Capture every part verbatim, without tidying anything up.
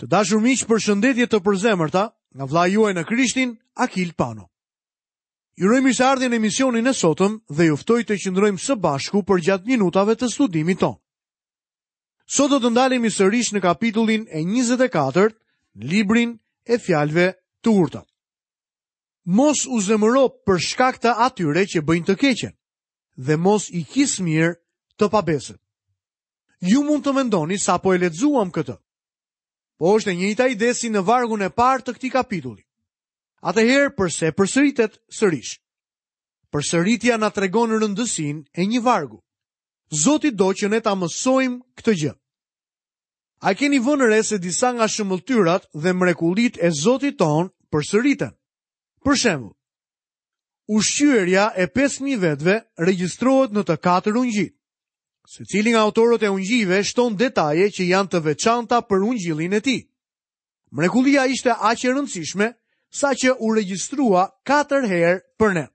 Të dashur miq, përshëndetje të përzemërta nga vëllai juaj në Krishtin, Akil Pano. Ju uroj mirëseardhjen në emisionin e sotëm dhe ju ftoj të qëndrojmë së bashku përgjatë minutave të studimit tonë. Sot do të ndalemi sërish në kapitullin e njëzet e katërt, në librin e fjalëve të urta. Mos u zemëro për shkak të atyre që bëjnë të keqen dhe mos i kis mirë të pabesët. Ju mund të mendoni sa po e lexuam këtë. Po është e njëjta ide si në vargun e parë të këtij kapitulli. Atëherë përse përsëritet sërish? Përsëritja na tregon rëndësinë e një vargu. Zoti do që ne ta mësojmë këtë gjë. A keni vënë re se disa nga shëmbëlltyrat dhe mrekullitë e Zotit ton përsëriten? Për shembull, ushqyerja e pesë mijë vetëve regjistrohet në të katër ungjijtë. Secili nga autorët e ungjijve shton detaje që janë të veçanta për ungjillin e tij. Mrekullia ishte aq e rëndësishme sa që u regjistrua katër herë për ne.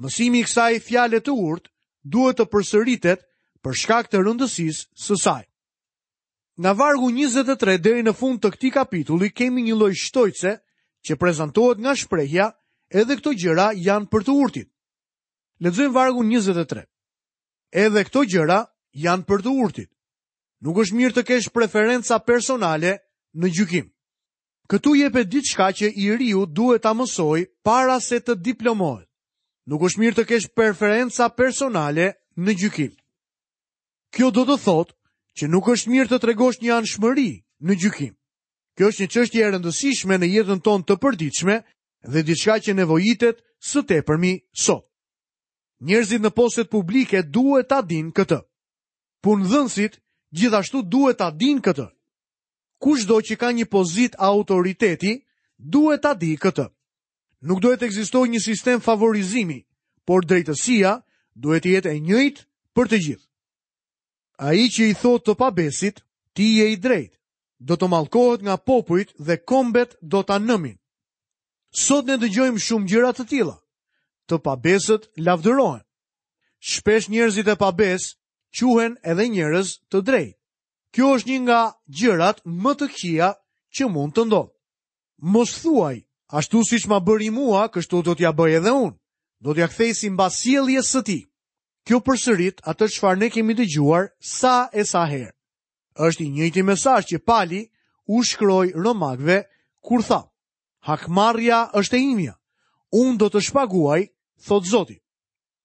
Mësimi i kësaj fjale të urtë duhet të përsëritet për shkak të rëndësisë së saj. Nga vargu njëzet e tre deri në fund të këtij kapitulli kemi një lloj shtojce që prezantohet nga shprehja edhe këto gjëra janë për të urtit. Lexojmë vargun njëzet e tre. Edhe këto gjëra janë për të urtit. Nuk është mirë të kesh preferenca personale në gjykim. Këtu jepet diçka që i riu duhet ta mësojë para se të diplomohet. Nuk është mirë të kesh preferenca personale në gjykim. Kjo do të thotë që nuk është mirë të tregosh një anshmëri në gjykim. Kjo është një çështje e rëndësishme në jetën tonë të përditshme dhe diçka që nevojitet së tepërmi sot. Njerëzit në postet publike duhet ta dinë këtë. Punëdhënësit gjithashtu duhet ta dinë këtë. Kushdo që ka një pozitë autoriteti duhet ta di këtë. Nuk duhet të ekzistojë një sistem favorizimi, por drejtësia duhet të jetë e njëjtë për të gjithë. Ai që i thotë të pabesit, ti je i drejtë, do të mallkohet nga popujt dhe kombet do ta nëmin. Sot ne dëgjojmë shumë gjëra të tilla. Të pabesët lavdërohen. Shpesh njerëzit e pabes quhen edhe njerëz të drejtë. Kjo është një nga gjërat më të këqija që mund të ndodhë. Mos thuaj, ashtu siç ma bëri mua, kështu do t'ja bëj edhe unë. Do t'ja kthej sipas sjelljes së tij. Kjo përsërit atë çfarë ne kemi dëgjuar sa e sa herë. Është i njëjti mesazh që Pali u shkroi Romakëve kur tha: Hakmarrja është e imja. Unë do të shpaguaj, thot Zoti.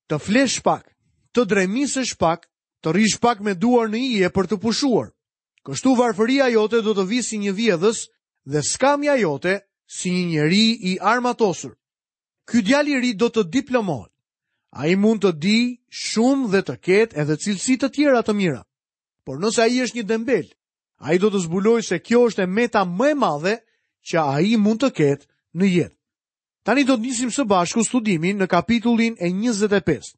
Të flesh pak, të dremisësh pak, të rrish pak me duar në ije për të pushuar. Kështu varfëria jote do të vi si një vjedhës dhe skamja jote si një njeri i armatosur. Ky djalë i ri do të diplomohet. Ai mund të di shumë dhe të ketë edhe cilësi të tjera të mira. Por nëse ai është një dembel, ai do të zbulojë se kjo është e meta më e madhe që ai mund të ketë në jetë. Tani do të nisim së bashku studimin në kapitullin e njëzet e pestë.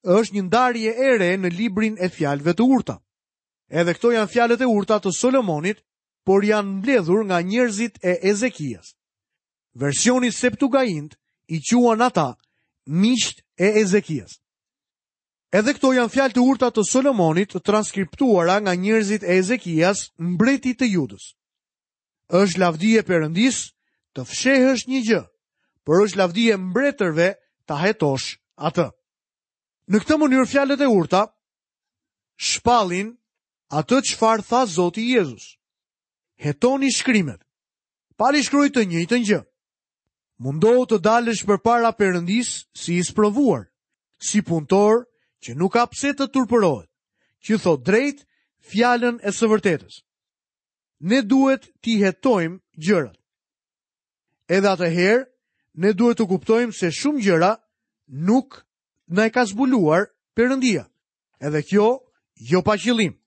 Është një ndarje e re në librin e fjalëve të urta. Edhe këto janë fjalët e urta të Solomonit, por janë mbledhur nga njerëzit e Ezekias. Versioni Septuagint i quan ata miqtë e Ezekias. Edhe këto janë fjalë të urta të Solomonit, të transkriptuara nga njerëzit e Ezekias, mbretit të Judës. Është lavdi e Perëndisë të fshehësh një gjë, por është lavdi e mbretërve ta hetosh atë. Në këtë mënyrë fjalët e urta shpallin atë çfarë tha Zoti Jezus. Hetoni shkrimet. Pali shkroi të njëjtën gjë. Mundohu të dalësh përpara Perëndisë si i sprovuar, si punëtor që nuk ka pse të turpërohet, që thot drejt fjalën e së vërtetës. Ne duhet t'i hetojmë gjërat. Edhe atëherë, ne duhet të kuptojmë se shumë gjëra nuk na e ka zbuluar Perëndia. Edhe kjo jo pa qëllim.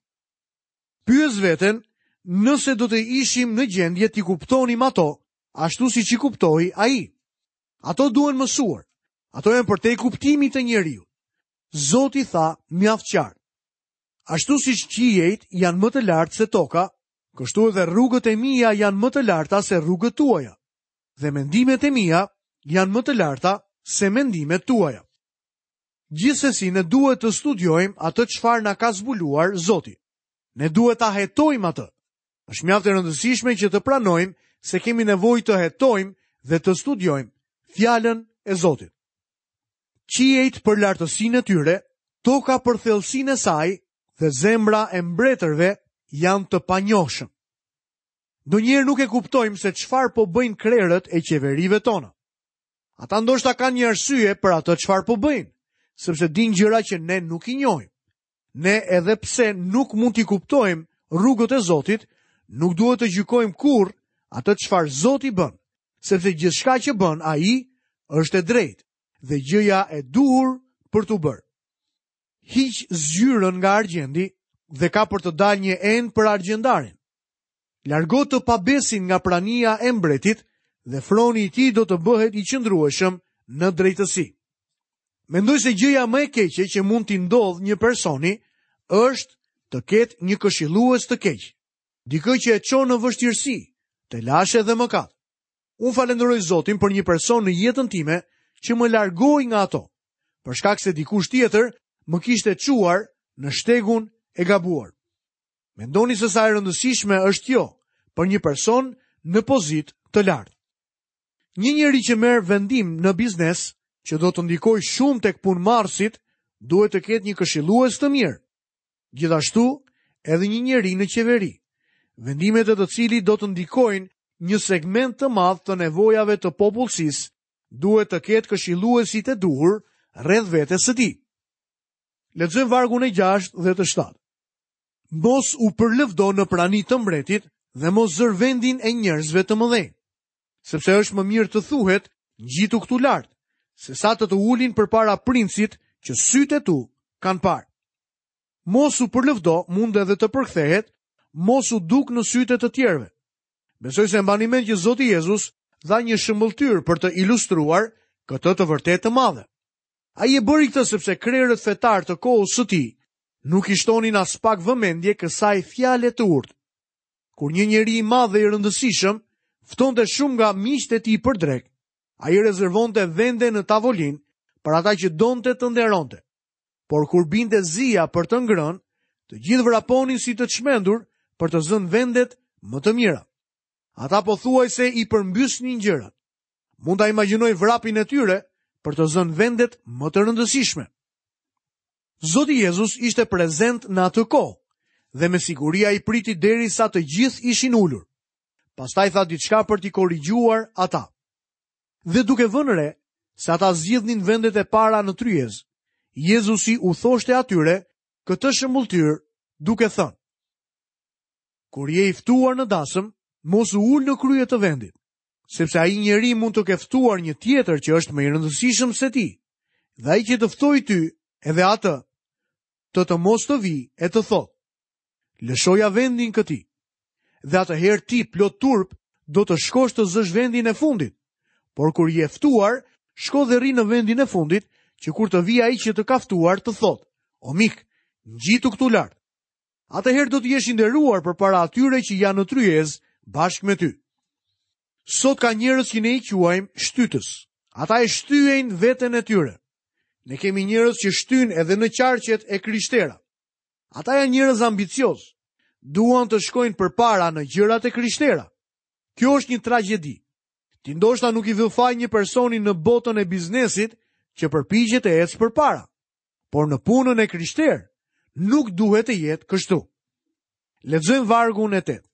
Pyes veten nëse do të ishim në gjendje t'i kuptonim ato, ashtu siç i kuptoi ai. Ato duhen mësuar. Ato janë përtej kuptimit të njeriut. Zoti tha mjaft qartë. Ashtu siç qiejt janë më të lartë se toka, kështu edhe rrugët e mia janë më të larta se rrugët tuaja, dhe mendimet e mia janë më të larta se mendimet tuaja. Gjithsesi ne duhet të studiojmë atë çfarë na ka zbuluar Zoti. Ne duhet ta hetojmë atë. Është mjaft e rëndësishme që të pranojmë se kemi nevojë të hetojmë dhe të studiojmë fjalën e Zotit. Qiejt për lartësinë e tyre, toka për thellësinë e saj dhe zemra e mbretërve janë të panjohshëm. Ndonjëherë nuk e kuptojmë se çfarë po bëjnë krerët e qeverive tona. Ata ndoshta kanë një arsye për atë çfarë po bëjnë, sepse dinë gjëra që ne nuk i njohim. Ne edhe pse nuk mund t'i kuptojmë rrugët e Zotit, nuk duhet të gjykojmë kurrë atë çfarë Zoti bën, sepse gjithçka që bën ai është e drejtë dhe gjëja e duhur për t'u bërë. Hiq zgjyrën nga argjendi dhe ka për të dalë një enë për argjendarin. Largo të pabesin nga prania e mbretit dhe froni i tij do të bëhet i qëndrueshëm në drejtësi. Mendoj se gjëja më e keqe që mund t'i ndodhë një personi është të ketë një këshillues të keq, dikë që e çon në vështirësi, telashe dhe mëkat. Unë falenderoj Zotin për një person në jetën time që më largoi nga ato, për shkak se dikush tjetër më kishte çuar në shtegun e gabuar. Mendoni se sa e rëndësishme është kjo për një person në pozitë të lartë. Një njeri që merr vendim në biznes që do të ndikojë shumë tek punëmarrësit, duhet të ketë një këshillues të mirë. Gjithashtu, edhe një njeri në qeveri, vendimet e të cilit do të ndikojnë një segment të madh të nevojave të popullsisë, duhet të ketë këshilluesit e duhur rreth vetes së tij. Lexojmë vargun e gjashtë dhe të shtatë. Mos u përlëvdo në prani të mbretit dhe mos zër vendin e njerëzve të mëdhenj, sepse është më mirë të thuhet ngjitu këtu lart, se sa të të ulin përpara princit që sytë e tu kanë parë. Mos u përlëvdo mund edhe të përkthehet, mos u duk në sytë e të tjerëve. Besoj se mbani mend që Zoti Jezus dha një shëmbëlltyrë për të ilustruar këtë të vërtetë të madhe. Ai e bëri këtë sepse krerët fetar të kohës së tij nuk i shtonin as pak vëmendje kësaj fjale të urtë. Kur një njeri i madh dhe i rëndësishëm ftonte shumë nga miqtë e tij për drekë, ai rezervonte vende në tavolinë për ata që donte të nderonte. Por kur binte zia për të ngrënë, të gjithë vraponin si të çmendur për të zënë vendet më të mira. Ata pothuajse i përmbysnin gjërat. Mund ta imagjinoj vrapin e tyre për të zënë vendet më të rëndësishme. Zoti Jezus ishte prezent në atë kohë dhe me siguri ai priti derisa të gjithë ishin ulur. Pastaj tha diçka për t'i korrigjuar ata. Dhe duke vënë re se ata zgjidhnin vendet e para në tryezë, Jezusi u thoshte atyre këtë shembulltyrë duke thënë: Kur je i ftuar në dasëm, mos u ul në krye të vendit, sepse ai njeri mund të ke ftuar një tjetër që është më i rëndësishëm se ti, dhe ai që të ftoi ty, edhe atë, të të mos të vi e të thotë: lëshoja vendin këtij. Dhe atëherë ti plot turp do të shkosh të zësh vendin e fundit. Por kur je ftuar, shko dhe rri në vendin e fundit, që kur të vi ai që të ka ftuar të thotë: o mik, ngjitu këtu lart. Atëherë do të jesh i nderuar përpara atyre që janë në tryezë bashkë me ty. Sot ka njerëz që ne i quajmë shtytës. Ata e shtyejnë veten e tyre. Ne kemi njerëz që shtyjnë edhe në qarqet e krishtera. Ata janë njerëz ambicioz, duan të shkojnë përpara në gjërat e krishtera. Kjo është një tragjedi. Ti ndoshta nuk i vë faj një personi në botën e biznesit që përpiqet të ecë përpara, por në punën e krishterë nuk duhet të jetë kështu. Lexojmë vargun e tetë.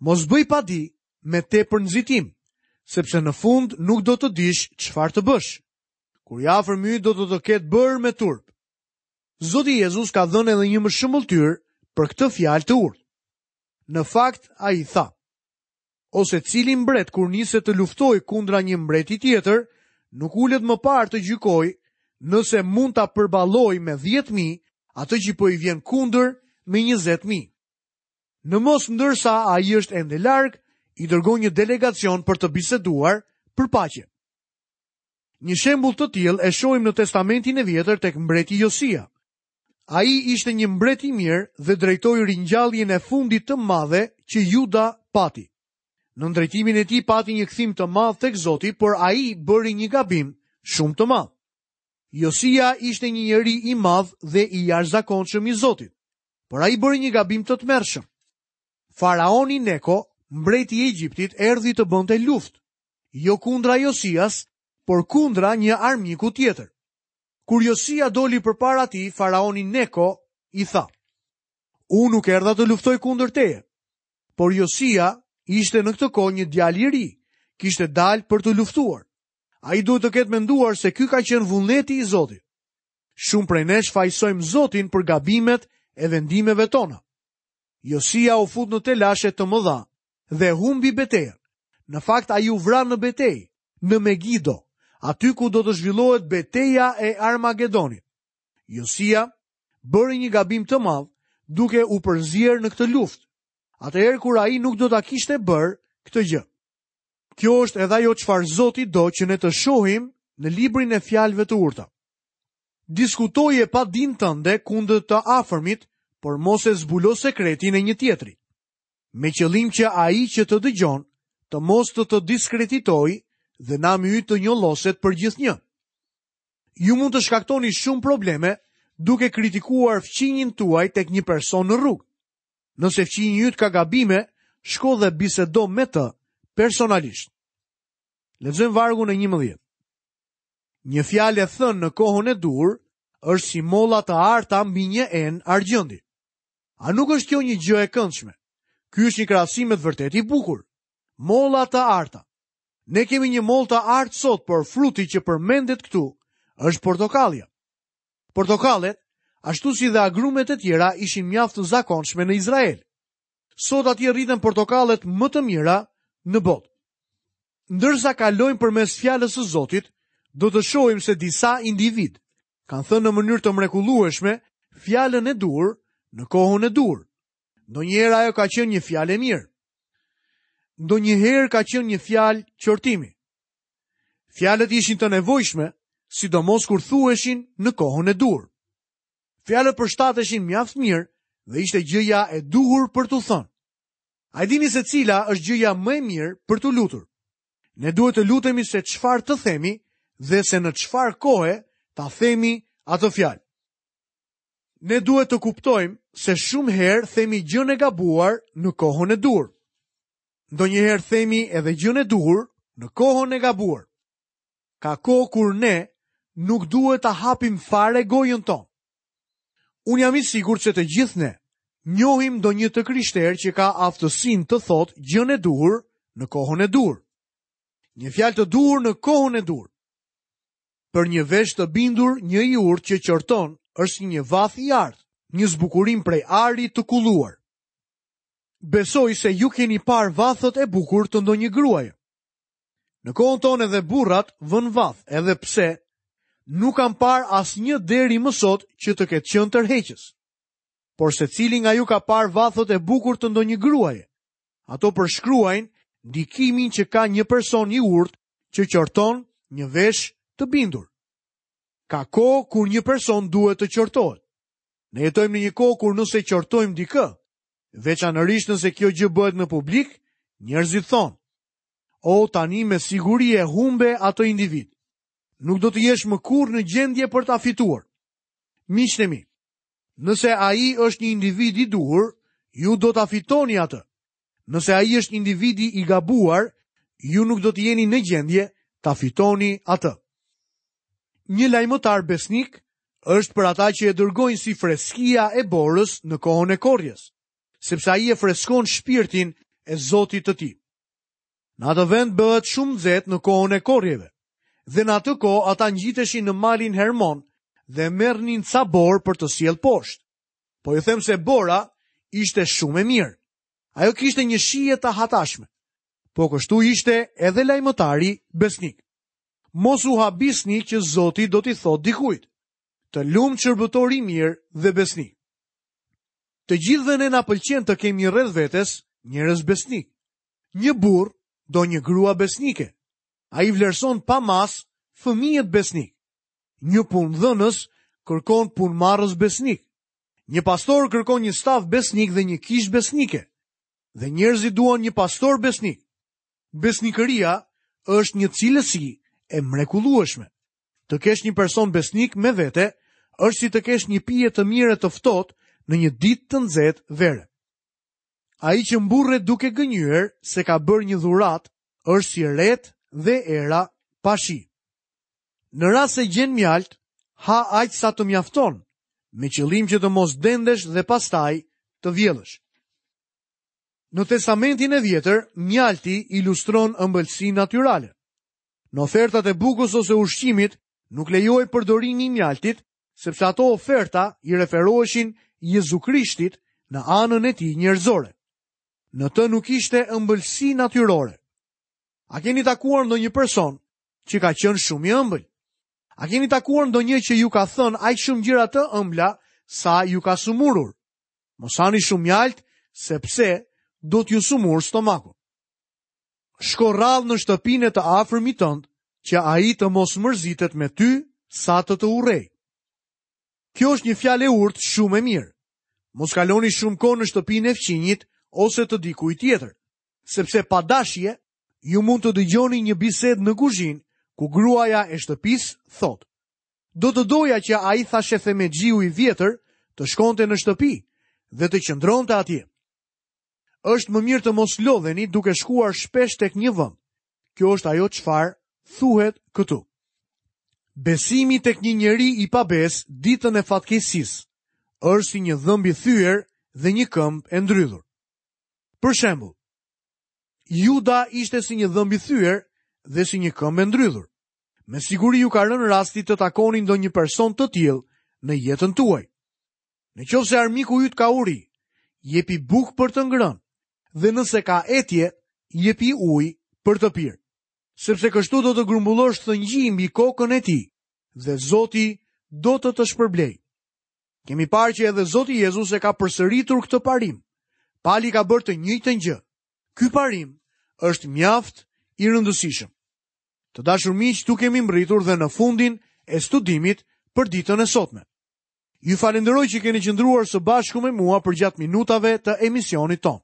Mos bëj padi me tepër nxitim, sepse në fund nuk do të dish çfarë të bësh. Kur i afërmi do të të ketë bërë me turp. Zoti Jezus ka dhënë edhe një më shembulltyrë për këtë fjalë të urtë. Në fakt, ai tha: ose cili mbret kur niset të luftojë kundra një mbreti tjetër, nuk ulet më parë të gjykojë nëse mund ta përballojë me dhjetë mijë atë që po i vjen kundër me njëzet mijë. Në mos ndërsa ai është ende larg, i dërgon një delegacion për të biseduar për paqe. Një shembull të tillë e shohim në Testamentin e Vjetër tek mbreti Josia. Ai ishte një mbret i mirë dhe drejtoi ringjalljen e fundit të madhe që Juda pati. Në drejtimin e tij pati një kthim të madh tek Zoti, por ai bëri një gabim shumë të madh. Josia ishte një njeri i madh dhe i jashtëzakonshëm i Zotit, por ai bëri një gabim të tmerrshëm. Faraoni Neko, mbreti i Egjiptit, erdhi të bënte luftë, jo kundra Josias, por kundra një armiku tjetër. Kur Josia doli përpara tij, faraoni Neko i tha: "Unë nuk erdha të luftoj kundër teje." Por Josia ishte në këtë kohë një djalë i ri, kishte dalë për të luftuar. Ai duhet të ketë menduar se ky ka qenë vullneti i Zotit. Shumë prej nesh fajsojmë Zotin për gabimet e vendimeve tona. Josia u fut në telashe të mëdha dhe humbi betejën. Në fakt ai u vra në betejë, në Megiddo, aty ku do të zhvillohet beteja e Armagedonit. Josia bëri një gabim të madh duke u përzier në këtë luftë, atëherë kur ai nuk do ta kishte bërë këtë gjë. Kjo është edhe ajo çfarë Zoti do që ne të shohim në librin e fjalëve të urta. Diskutoje pa din tënde kundër të afërmit, por mos e zbulo sekretin e një tjetri, me qëllim që ai që të dëgjon të mos të të diskreditojë dhe nami yt të njolloset për gjithnjë. Ju mund të shkaktoni shumë probleme duke kritikuar fqinjin tuaj tek një person në rrugë. Nëse fqinji yt ka gabime, shko dhe bisedo me të personalisht. Lexojmë vargun e njëmbëdhjetë. Një fjalë e thënë në kohën e duhur është si molla të arta mbi një enë argjendi. A nuk është kjo një gjë e këndshme? Ky është një krahasim me të vërtetë i bukur. Molla të arta. Ne kemi një mollë të artë sot, por fruti që përmendet këtu është portokallja. Portokallet, ashtu si dhe agrumet e tjera, ishin mjaft të zakonshme në Izrael. Sot atje rriten portokallet më të mira në botë. Ndërsa kalojmë përmes fjalës së Zotit, do të shohim se disa individ kanë thënë në mënyrë të mrekullueshme fjalën e duhur në kohën e duhur. Ndonjëherë ajo ka qenë një fjalë e mirë. Ndonjëherë ka qenë një fjalë qortimi. Fjalët ishin të nevojshme, sidomos kur thuheshin në kohën e duhur. Fjalët përshtateshin mjaft mirë dhe ishte gjëja e duhur për t'u thënë. A e dini se cila është gjëja më e mirë për t'u lutur? Ne duhet të lutemi se çfarë të themi dhe se në çfarë kohe ta themi atë fjalë. Ne duhet të kuptojmë se shumë herë themi gjën e gabuar në kohën e duhur. Ndonjëherë themi edhe gjën e duhur në kohën e gabuar. Ka kohë kur ne nuk duhet ta hapim fare gojën tonë. Unë jam i sigurt se të gjithë ne njohim ndonjë të krishterë që ka aftësinë të thotë gjën e duhur në kohën e duhur. Një fjalë të duhur në kohën e duhur. Për një vesh të bindur, një i urtë që qorton është si një vath i artë, një zbukurim prej ari të kulluar. Besoj se ju keni parë vathët e bukur të ndonjë gruaje. Në kohën tonë edhe burrat vën vath, edhe pse nuk kam parë asnjë deri më sot që të ketë qenë tërheqës. Por secili nga ju ka parë vathët e bukur të ndonjë gruaje. Ato përshkruajnë ndikimin që ka një person i urtë që qorton një vesh të bindur. Ka kohë kur një person duhet të qortohet. Ne jetojmë në një kohë kur nëse qortojmë dikë, veçanërisht nëse kjo gjë bëhet në publik, njerëzit thonë: "O, tani me siguri e humbe atë individ. Nuk do të jesh më kurrë në gjendje për ta fituar." Miqtë e mi, nëse ai është një individ i duhur, ju do ta fitoni atë. Nëse ai është individi i gabuar, ju nuk do të jeni në gjendje ta fitoni atë. Një lajmëtar besnik është për ata që e dërgojnë si freskia e borës në kohën e korrjes, sepse ai e freskon shpirtin e Zotit të tij. Në atë vend bëhet shumë nxehtë në kohën e korrjeve, dhe në atë kohë ata ngjiteshin në malin Hermon dhe merrnin ca borë për të sjellë poshtë. Po ju them se bora ishte shumë e mirë. Ajo kishte një shije të hatashme. Po kështu ishte edhe lajmëtari besnik. Mos u habisni që Zoti do t'i thotë dikujt: "Të lumt shërbëtor i mirë dhe besnik." Të gjithëve ne na pëlqen të kemi rreth vetes njerëz besnik. Një burr do një grua besnike. Ai vlerëson pa mas fëmijët besnik. Një punëdhënës kërkon punëmarrës besnik. Një pastor kërkon një staf besnik dhe një kishë besnike. Dhe njerëzit duan një pastor besnik. Besnikëria është një cilësi e mrekullueshme. Të kesh një person besnik me vete është si të kesh një pije të mirë të ftohtë në një ditë të nxehtë vere. Ai që mburret duke gënjyer se ka bërë një dhuratë, është si retë dhe era pa shi. Në rast se gjen mjalt, ha aq sa të mjafton, me qëllim që të mos dendesh dhe pastaj të vjellësh. Në Testamentin e Vjetër, mjalti ilustron ëmbëlsinë natyrale. Në ofertat e bukës ose ushqimit nuk lejohej përdorimi i mjaltit, sepse ato oferta i referoheshin Jezu Krishtit në anën e tij njerëzore. Në të nuk ishte ëmbëlsi natyrore. A keni takuar ndonjë person që ka qenë shumë i ëmbël? A keni takuar ndonjë që ju ka thënë aq shumë gjëra të ëmbla sa ju ka sëmurur? Mos hani shumë mjalt, sepse do t'ju sëmur stomaku. Shko rrallë në shtëpinë e të afërmit tënd, që ai të mos mërzitet me ty sa të të urrej. Kjo është një fjalë e urtë shumë e mirë. Mos kaloni shumë kohë në shtëpinë e fqinjit ose të dikujt tjetër, sepse pa dashje ju mund të dëgjoni një bisedë në kuzhinë ku gruaja e shtëpisë thotë: "Do të doja që ai thashethemexhiu i vjetër të shkonte në shtëpi dhe të qëndronte atje." Është më mirë të mos lodheni duke shkuar shpesh tek një vend. Kjo është ajo çfarë thuhet këtu. Besimi tek një njeri i pabes ditën e fatkeqësisë është si një dhëmb i thyer dhe një këmbë e ndrydhur. Për shembull, Juda ishte si një dhëmb i thyer dhe si një këmbë e ndrydhur. Me siguri ju ka rënë rasti të takoni ndonjë person të tillë në jetën tuaj. Në qoftë se armiku yt ka uri, jepi bukë për të ngrënë, dhe nëse ka etje, jepi ujë për të pirë. Sepse kështu do të grumbullosh thëngji mbi kokën e tij, dhe Zoti do të të shpërblej. Kemi parë që edhe Zoti Jezus e ka përsëritur këtë parim. Pali ka bërë të njëjtën gjë. Ky parim është mjaft i rëndësishëm. Të dashur miq, tu kemi mbërritur dhe në fundin e studimit për ditën e sotme. Ju falenderoj që keni qëndruar së bashku me mua përgjatë minutave të emisionit tonë.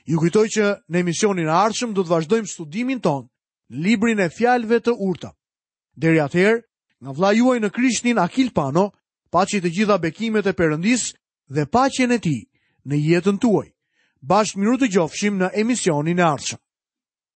Ju kujtoj që në emisionin e ardhshëm do të vazhdojmë studimin tonë në librin e fjalëve të urta. Deri atëherë, nga vëllai juaj në Krishtin Akil Pano, paçi të gjitha bekimet e Perëndisë dhe paqen e tij në jetën tuaj. Bashkë mirudëgjofshim në emisionin e ardhshëm.